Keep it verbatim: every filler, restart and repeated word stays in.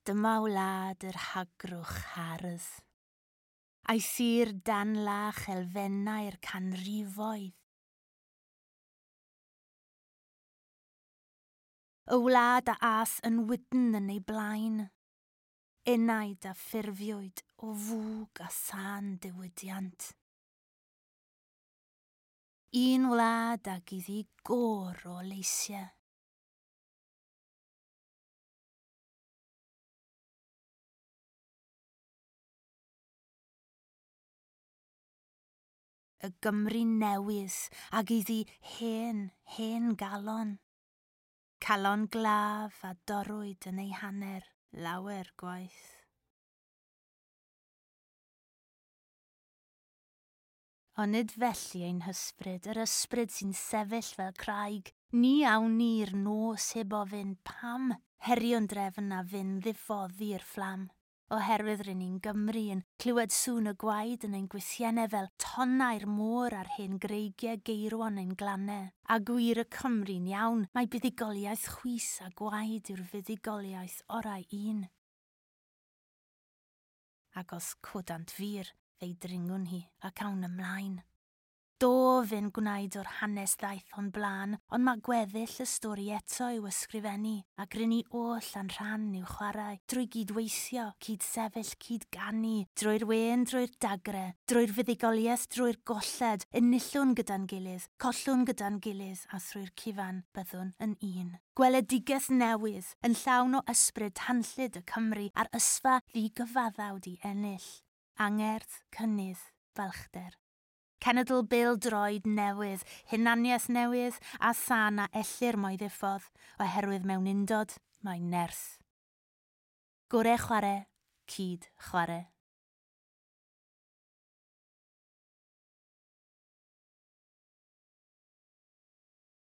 Dyma wlad yr hagrwch hardd. A'i thir danlach elfennau'r canrifoedd. Y wlad a ath yn wydn yn ei blaen. Enaid a ffurfiwyd o fwg a thân diwydiant. Un wlad ag iddi gôr o leisiau. Y Gymru newydd ag iddi hen, hen galon. Calon glaf a dorrwyd yn ei hanner lawer gwaith. Ond nid felly ein hysbryd, yr ysbryd sy'n sefyll fel craig, ni awn ni'r nos heb ofyn pam, herion drefn a fyn ddifoddi'r fflam. Oherwydd rŷn ni'n Gymru yn clywed sŵn y gwaed yn ein gwythiennau fel tonnau'r môr ar hen greigiau geirwon ein glannau. A gwir y Cymru'n iawn, mae buddugoliaeth chwys a gwaed yw'r fuddugoliaeth orau un. Ac os codant fur, fe'i dringwn hi ac awn ymlaen. Do fe'n gwnaed o'r hanes ddaeth o'n blaen, ond mae gweddill y stori eto i'w ysgrifennu, ac rŷn ni oll a'n rhan i'w chwarae, drwy gydweithio, cyd-sefyll, cyd-ganu, drwy'r wên, drwy'r dagre, drwy'r fuddugoliaeth, drwy'r golled, enillwn gyda'n gilydd, collwn gyda'n gilydd, a thrwy'r cyfan byddwn yn un. Gweledigaeth newydd, yn llawn o ysbryd tanllyd y Cymru a'r ysfa ddigyfaddawd i ennill. Angerdd, cynnydd, balchder. Cenedl bêl-droed newydd, hunaniaeth newydd a thân a ellir mo'i ddiffodd, oherwydd mewn undod mae nerth. Gore chwarae, cyd chwarae.